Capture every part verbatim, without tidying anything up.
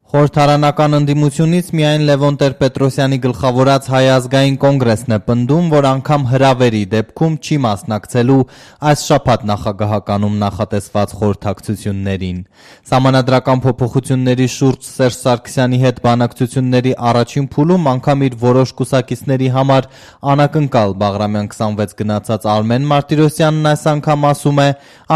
Խորհրդարանական ընդդիմությունից միայն Լևոն Տեր-Պետրոսյանի գլխավորած Հայ ազգային կոնգրեսն է պնդում, որ անգամ հրավերի դեպքում չի մասնակցելու այս շաբաթ նախագահականում նախատեսված խորհրդակցություններին։ Սահմանադրական փոփոխությունների շուրջ Սերժ Սարգսյանի հետ բանակցությունների առաջին փուլում անգամ իր որոշ կուսակիցների համար անակնկալ Բաղրամյան քսանվեց գնացած Արմեն Մարտիրոսյանն այս անգամ ասում է,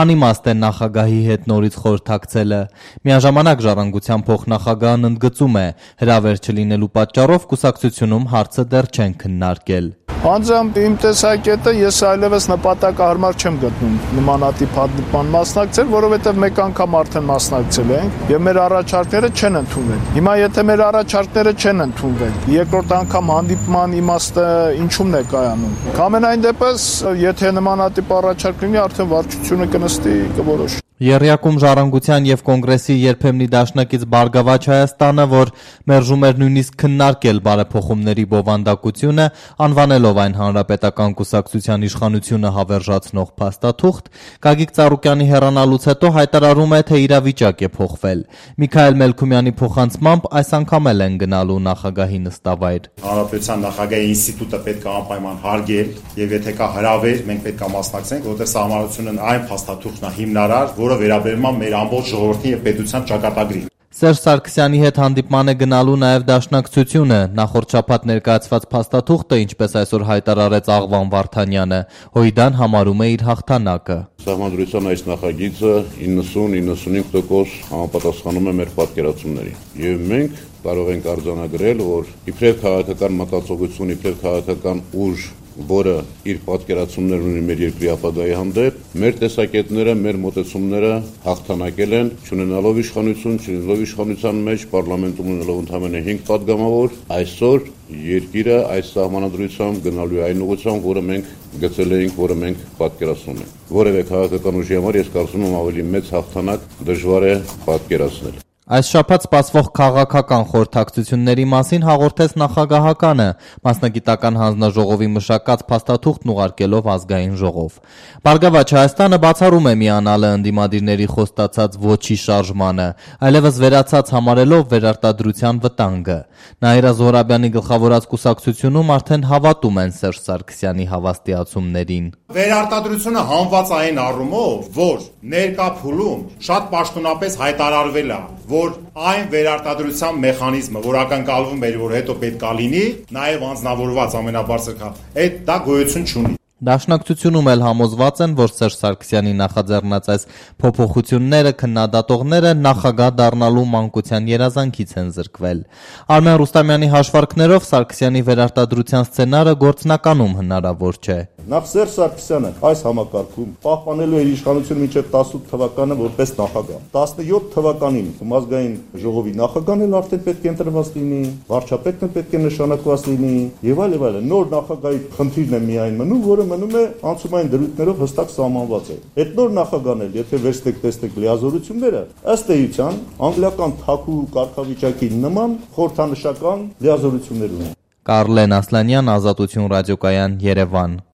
անիմաստ է նախագահի հետ նորից խորհրդակցելը։ Միաժամանակ Ժառանգության փոխնախագահ ընդգծում է, հրավեր չլինելու պատճառով կուսակցությունում հարցը դեռ չեն քննարկել։ Անձամբ իմ տեսակետը ես այլևս նպատակահարմար չեմ գտնում նմանատիպ հանդիպման մասնակցել, որովհետև մեկ անգամ արդեն մասնակցել ենք եւ մեր առաջարկները չեն ընդունվել։ Հիմա եթե մեր առաջարկները չեն ընդունվել, երկրորդ անգամ հանդիպման իմաստը ինչու՞մն է կայանում։ Ամենայն դեպս, եթե նմանատիպ առաջարկ լինի, արդեն վարչությունը կնստի կորոշի։ Եռյակում Ժառանգության եւ Կոնգրեսի երբեմնի դաշնակից Բարգավաճ Հայաստանը, որ մերժում էր նույնիսկ քննարկել բարեփոխումների բովանդակությունը, անվանելով այն հանրապետական կուսակցության իշխանությունը հավերժացնող փաստաթուղթ, Գագիկ Ծառուկյանի հեռանալուց հետո հայտարարում է, թե իրավիճակ է փոխվել։ Միքայել Մելքումյանի փոխանցմամբ այս անգամ էլ են գնալու նախագահի նստավայր։ Հանրապետության նախագահի ինստիտուտը պետք է անպայման հարգել եւ եթե կա հրավեր, մենք պետք է մասնակցենք, որտեղ սահմանությունը այն փաստաթուղթն է հիմնարար, որը վերաբերում է մեր ամբողջ ժողովրդի եւ պետության ճակատագրին։ Սերժ Սարգսյանի հետ հանդիպման է գնալու նաև դաշնակցությունը։ Նախորդ շաբաթ ներկայացված փաստաթուղթը, ինչպես այսօր հայտարարեց Աղվան Վարդանյանը, Հույդան համարում է իր հաղթանակը։ Սահմանադրության այս նախագիծը իննսուն իննսունհինգ տոկոս համապատասխանում է մեր պատկերացումներին։ Եվ մենք կարող ենք արձանագրել, որ իբրև քաղաքական մտածողություն, իբրև քաղաքական ուժ, որը իր պատկերացումներ ունի մեր երկրի ապագայի հանդեպ, մեր տեսակետները, մեր մոտեցումները հաղթանակել են, չունենալով իշխանություն, չունենալով իշխանության մեջ պարլամենտում ունենալով ընդամենը հինգ պատգամավոր, այսօր երկիրը այս սահմանադրությամբ գնալու է այն ուղղությամբ, որը մենք գծել էինք, որը մենք պատկերացնում ենք։ Որևէ քաղաքական ուժի համար ես կարծում եմ ավելի մեծ հաղթանակ դժվար է պատկերացնել։ Այս շաբաթ սպասվող քաղաքական խորհրդակցությունների մասին հաղորդեց նախագահականը, մասնագիտական հանձնաժողովի մշակած փաստաթուղթն ուղարկելով ազգային ժողով։ Բարգավաճ Հայաստանը բացառում է միանալը ընդդիմադիրների խոստացած ոչի շարժմանը, այլևս վերացած համարելով վերարտադրության վտանգը։ Նաիրա Զոհրաբյանի գլխավորած կուսակցությունում արդեն հավատում են Սերժ Սարգսյանի հավաստիացումներին։ Վերարտադրությունը հանված այն առումով, որ ներկա փուլում շատ պաշտոնապես հայտարարվել է, որ այն վերարտադրության մեխանիզմը, որ ակնկալվում էր, որ հետո պետք է լինի, նաև անձնավորված ամենաբարձր քա, այդ դա գոյություն չունի։ Դաշնակցությունում էլ համոզված են, որ Սերժ Սարգսյանի նախաձեռնած այս փոփոխությունները քննադատողները նախագահ դառնալու մանկության երազանքից են զրկվել։ Արմեն Ռուստամյանի հաշվարկներով Սարգսյանի վերարտադրության սցենարը գործնականում հնարավոր չէ։ Նախ Սերժ Սարգսյանը այս համակարգում պահպանելու էր իշխանությունը մինչև տասնութ թվականը որպես նախագահ։ տասնյոթ թվականին ազգային ժողովի նախագահն էլ արդեն պետք է ընտրված լինի, վարչապետն էլ պետք է նշանակված լինի, եւ այլ եւ այլ։ Նոր նախագահի խնդիրն է միայն մնում, որը մնում է անցումային դրույթներով հստակ սահմանված է։ Այդ նոր նախագահն էլ, եթե վերստեք տեսնեք լիազորությունները, ըստ էության անգլիական թաքու կարգավիճակի նման խորհրդանշական լիազորություններ ունեն։ Կարլեն Ասլանյան, Ազատություն ռադիոկայան, Երևան։